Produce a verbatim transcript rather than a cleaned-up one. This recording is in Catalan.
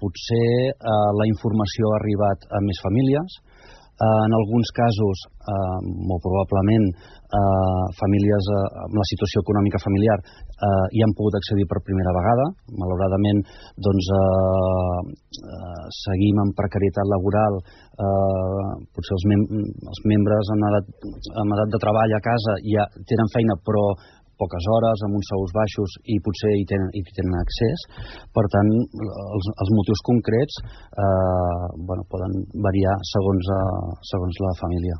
potser eh, la informació ha arribat a més famílies. En alguns casos, eh, molt probablement, eh, famílies eh, amb la situació econòmica familiar eh, hi han pogut accedir per primera vegada. Malauradament, doncs, eh, eh, seguim amb precarietat laboral. Eh, potser els, mem els membres en edat, en edat de treball a casa ja tenen feina, però poques hores, amb uns sous baixos, i potser hi tenen, hi tenen accés. Per tant, els, els motius concrets eh, bueno, poden variar segons, eh, segons la família.